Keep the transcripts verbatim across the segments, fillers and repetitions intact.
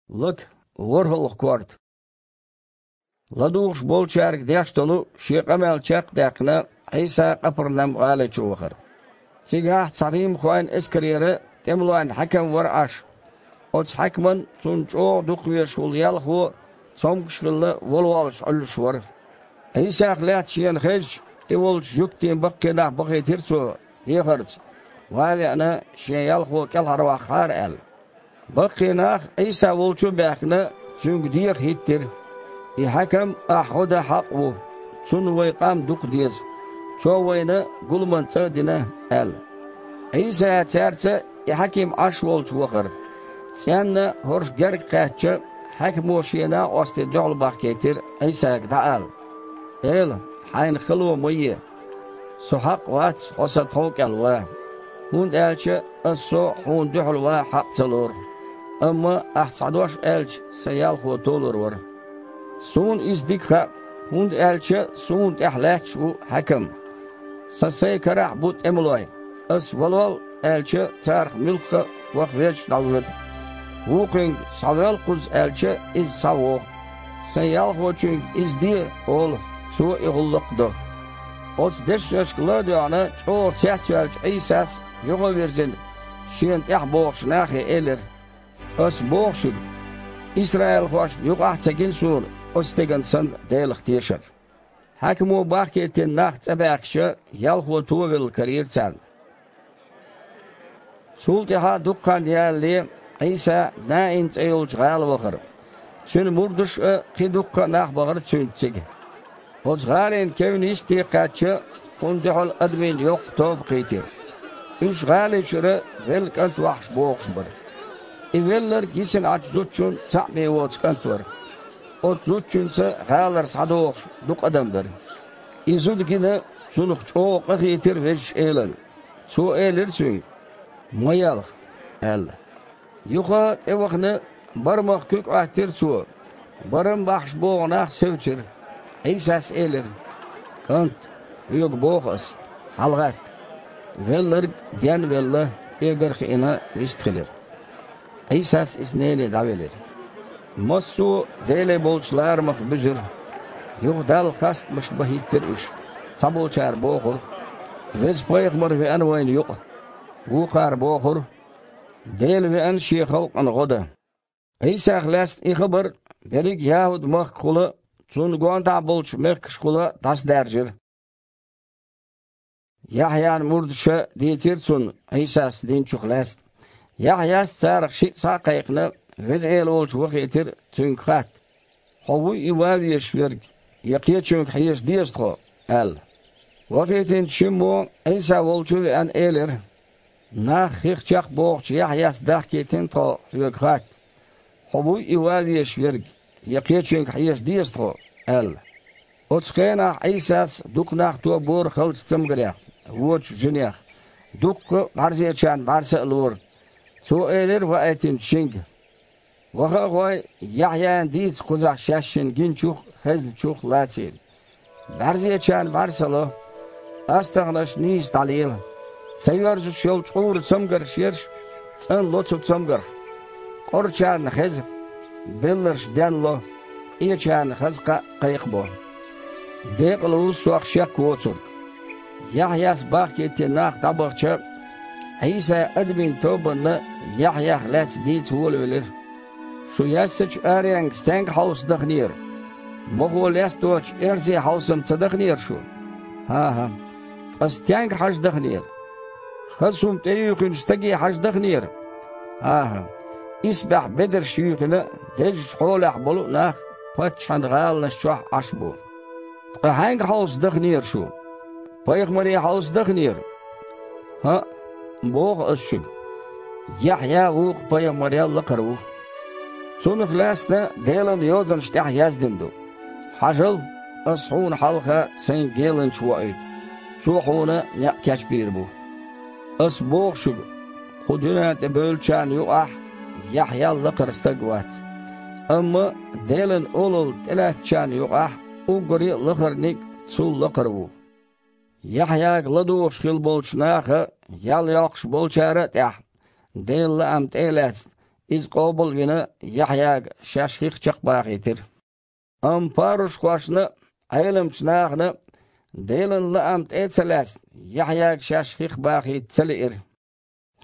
Лака, ворхӀалгӀа корта. ЛадугӀуш болчаьрга деш долу шен къамел чекхдаьккхина, Ӏийса Къапарнам-гӀали чу вахара. Цигахь цхьа римхойн эскарера тӀемалойн хьаькам вара Ӏаш. Оцу хьаькаман цунна чӀогӀа дукхавезаш волу ялхо цомгуш хилла, валволуш Ӏуьллуш вара. Ӏийсах лаьцна шена хезча, и волчу жуьгтийн баккхий нах бахийтира цо, дехарца, ван а веана, шен ялхо кӀелхьарваккхахьара аьлла. Баккхий нах Ӏийса волчу а баьхкина, цуьнга деха хӀиттира: «И хьаькам ахь гӀо дан хьакъ ву, цунна вайн къам дукха деза, цо вайна гуламан цӀа а дина», – аьлла. Ӏийса цаьрца и хьаькам Ӏаш волчу вахара. ЦӀенна хӀорш герга кхаьчча, хьаькамо шен накъостийн дуьхьал бахкийтира Ӏийсага дӀаала: «Эла, хьайна хало ма е. Со хьакъ вац хьо сан тхов кӀел ван, хӀунда аьлча ас со хьуна дуьхьал ван хьакъ ца лору. Амма ахь цхьа дош аьлча, сан ялхо толур вара. Суна иза дика хаьа, хӀунда аьлча суна тӀехь лаьтташ ву хьаькам. Сан сайн карахь бу тӀемалой. Ас валол аьлча, царах муьлхха а ваха везаш дӀавоьду. Вукхуьнга схьавоьлла кхуза аьлча, иза схьавогӀу. Сайн ялхочуьнга иза де олу, цо и гӀуллакх а до». Оцу дешнашка ла а доьгӀна, чӀогӀа цецваьллачу Ӏийсас, юха а вирзина, шена тӀаьхьа богӀучу нахе элира: «Ас боху шуьга, исраилхошна юкъахь а ца гина суна оцу стеган санна Делах тешар». Хьаькамо бахкийтина нах цӀа баьхкича, ялхо товелла карийра царна. Цул тӀаьхьа дукха хан ялале, Ӏийса Наин цӀе йолчу гӀала вахара. Цуьнан мурдаш а, кхин дуккха а нах бахара цуьнца цига. Оцу гӀалина кевнна йисте кхаьчча, кхунна дуьхьал адамийн йоккха тоба кхийтира. Уьш гӀали чуьра велла кӀант вахьаш богӀуш бара. И велларг йисина Ӏачу зудчун цхьаъ бен воцу кӀант вара. Оцу зудчуьнца гӀалара схьадогӀуш дукха адам дара. И зуда гина, цунах чӀогӀа къахийтира Везачу Элана. Цо элира цуьнга: «Ма елха», – аьлла. Юха а тӀевахана, барамах куьг Ӏоьттира цо. Барам бахьаш богӀу нах севцира. Ӏийсас элира: «КӀант, хьоьга боху ас, хьалагӀатта». Велларг денвелла, кӀегар а хиъна, вистхилира. Ӏийсас иза нене дӀавелира. Массо а Деле болчу ларамах буьзира. Юха Далла хастамаш бан хӀиттира уьш. Цхьаболчара бохура: «Веза пайхамар веана вайна юкъа». Вукхара бохура: «Дела веана Шен халкъана гӀо дан». Ӏийсах лаьцна и хабар берриг ЯхӀуд-махкахула, цунна гондахьа болчу мехкашкахула дӀасадаьржира. Яхьъян мурдаша дийцира цунна Ӏийсас динчух лаьцна. Яхьъяс царах шиъ схьа а кхайкхина, Веза Эла волчу вахийтира цуьнга хатта: «Хьо вуй и ван везаш верг, я кхечуьнга хьежа деза тхо?» – аьлла. Вахийтинчу Шиммо, Ӏийса волчу а веана, элира: «Нах хих чекхбохучу Яхьъяс дахкийтина тхо хьоьга хатта: „Хьо вуй и ван везаш верг, я кхечуьнга хьежа деза тхо?“ – аьлла». Оцу хенахь Ӏийсас дукха нах тобора халчу цамгарех, вочу жинех, дуккха а бӀаьрзечарна бӀаьрса а лора. Цо элира ваийтинчу шинга: «Ваха а гӀой, Яхьъяна дийца кхузахь шаьш шина гиначух а, хезначух а лацийла. БӀаьрзечарна бӀаьрса ло, астагӀнаш нийса дӀалела, ца йоьрзуш йолу чкъуран цамгарш ерш цӀанло цу цамгарх, къорачарна хеза, белларш денло, къечарна хаза кхаъ кхайкхабо. Декъала ву Сох шек воцург». Яхьъяс бахкийтина нах дӀабахча, Ӏийса адамийн тобанна Яхьъях лаьцна дийца волавелира: «Шу яьссачу аренга стенга хьовса даханера? Мохо лесточу эрзе хьовса-м ца даханера шу? ХӀан-хӀа. Ткъа стенга хьажа даханера? Хаза хӀума тӀеюьйхинчу стаге хьажа даханера? ХӀан-хӀа. Исбаьхьа бедарш юьйхина, дезачу хьолехь болу а нах паччахьан гӀаланаш чохь Ӏаш бу. Ткъа хьаьнга хьовса даханера шу? Пайхамаре хьовса даханера? ХӀаъ, боху ас шуьга, Яхьъя вукху пайхамарел лакхара ву. Цунах лаьцна Делан Йозанаш тӀехь яздина ду: „Хьажал, ас хьуна хьалха сайн геланча воуьйту, цо хьуна некъ кечбийр бу“. Ас боху шуьга, кху дуьнен тӀе бевллачарна юкъахь Яхьъял лакхара стаг вац. Амма Делан олалла тӀелаьцначарна юкъахь уггаре а лахарниг цул лакхара ву. Яхьъяга ладугӀуш хилла болчу наха, ял йоккхуш болчара а тӀехь, Делан лаам тӀе а лаьцна, Иза къобал а вина, Яхьъяга шаьш хих чекхбахийтира. Амма парушхошна а, Ӏеламчу нахана а Делан лаам тӀе а ца лаьцна, Яхьъяга шаьш хих бахийта ца лиира.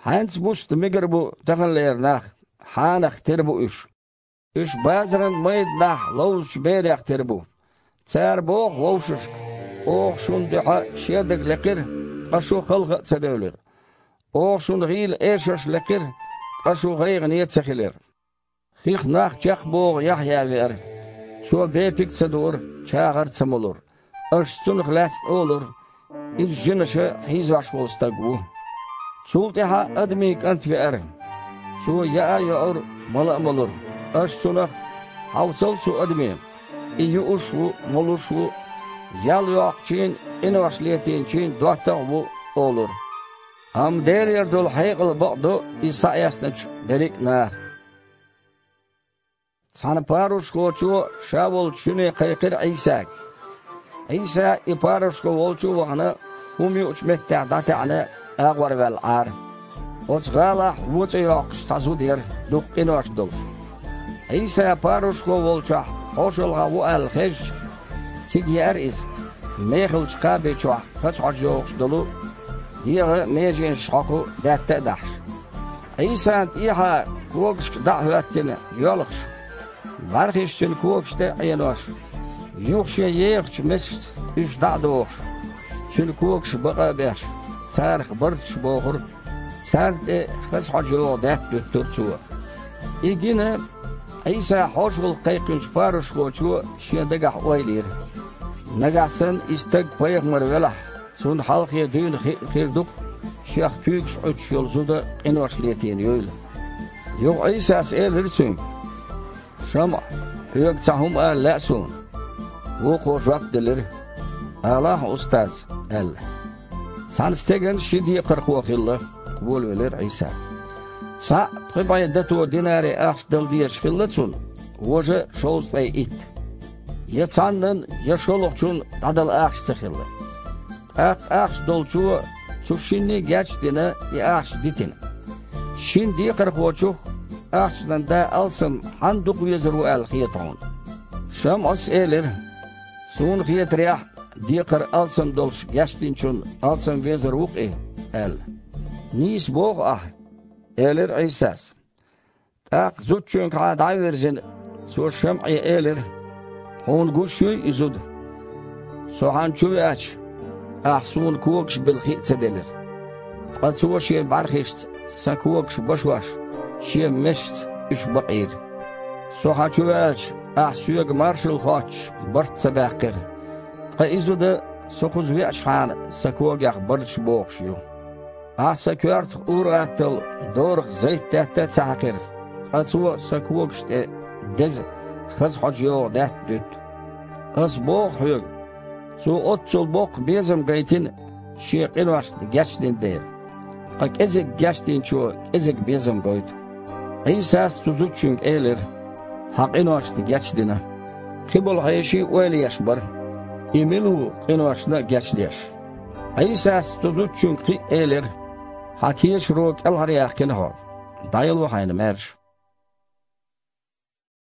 Хьаьнца буста мегар бу таханлера нах, хьанах тера бу уьш. Уьш базаран майданахь ловзучу берех тера бу. Цара боху вовшашка: «Оха шуна дуьхьа шедаг лекхира, ткъа шу халха а ца девлира. Оха шуна гӀийла эшарш лекхира, ткъа шу гӀайгӀане ца хилира». Хих нах чекхбоху Яхьъя веара. Цо бепиг а ца дуура, чагӀар а ца молура. Аша цунах лаьцна олура: «Иза жинаша хьийзош волу стаг ву». Цул тӀаьхьа Адамийн КӀант веара. Цо яа а йоура, мала а молура. Аша цунах: «Хьовсал цу адаме, и юуш а ву, молуш а ву, ял йоккхучийн а, къинош летийначийн а доттагӀа а ву», – олура. Амма Делера долу хьекъал бакъдо иза схьаэцначу берриг а наха. Цхьана парушхочо ша волчу шуьне кхайкхира Ӏийсага. Ӏийса, и парушхо волчу а вахана, хӀума юучу меттехь дӀатаьӀна, агӀор ваьлла Ӏара. Оцу гӀалахь вон цӀе йоккхуш цхьа зуда яра, дукха къинош долуш. Ӏийса парушхо волчохь хьошалгӀа ву аьлла хезча, цига еара иза, мехалчу кхаби чохь хаза хьожа йогӀуш долу, дегӀан меженаш хьокху даьтта а дахьаш. Ӏийсана тӀехьа когашка дӀа а хӀоьттина йоьлхуш, бӀаьрхиш цуьнан когаш тӀе а Ӏенош, юха шен ехачу месашца уьш дӀа а дохуш, цуьнан когаш бакъа а беш, царах барташ бохура, царна тӀе хаза хьожа йогӀу даьтта дуьттура цо. И гина, Ӏийса хьошалгӀа кхайкхинчу парушхочо шен дагахь ойла йира: «Нагахь санна и стаг пайхамар велахь, цунна хьалхе дуьйна хиъна хир ду-кх шех куьйгаш Ӏуьттуш йолу зуда къинош летийна юйла». Юха Ӏийсас элира цуьнга: «ШамӀа, хьоьга цхьа хӀума ала лаьа суна». Вукхо жоп делира: «Алахьа, устаз», – аьлла. «Цхьана стеган ши декхархо хилла, – волавелира Ӏийса. – Цхьаъ пхи бӀе дато динари ахча дала дезаш хилла цунна, важа шовзткъе итт. Я цхьаннан, я шолгӀачун дӀадала ахча ца хилла. ТӀаккха ахча долчо цу шинне а геч а дина, и ахча дитина. Шина декхархочух ахчанан да алсам хьанна дукха везар ву аьлла хета хьуна?» ШамӀас элира: «Суна хетарехь, декхар алсам долуш гечдинчунна алсам везар ву-кх и», – аьлла. «Нийса боху ахьа», – элира Ӏийсас. ТӀаккха зудчуьнгахьа дӀа а вирзина, цо ШамӀе элира: «Хьуна гуш юй и зуда? Со хьан чу веача, ахь суна когаш билла хи а ца делира. Ткъа цо шен бӀаьрхишца сан когаш башош, шен месашца уьш бакъийра. Со хьан чу веача, ахь соьга маршалла хоттуш барт ца баьккхира. Ткъа и зуда, со кхуза веачхьана, сан когех барташ бохуш ю. Ахь сан коьртах ур-атталла дорах зайтдаьтта а ца хьаькхира, ткъа цо сан когаш тӀе деза, хаза хьожа йогӀу даьтта дуьтту. Ас боху хьоьга, цо оццул боккха безам гайтина, шен къиношна гечдина дела. Ткъа кӀезиг гечдинчо кӀезиг безам гойту». Ӏийсас цу зудчуьнга элира: «Хьан къиношна гечдина». Кхиболу хьеший ойла еш бара: «И мила ву къиношна а гечдеш?» Ӏийсас цу зудчуьнга кхин а элира: «Хьан тешаро кӀелхьаръяьккхина хьо. ДӀаяло хьайна маьрша».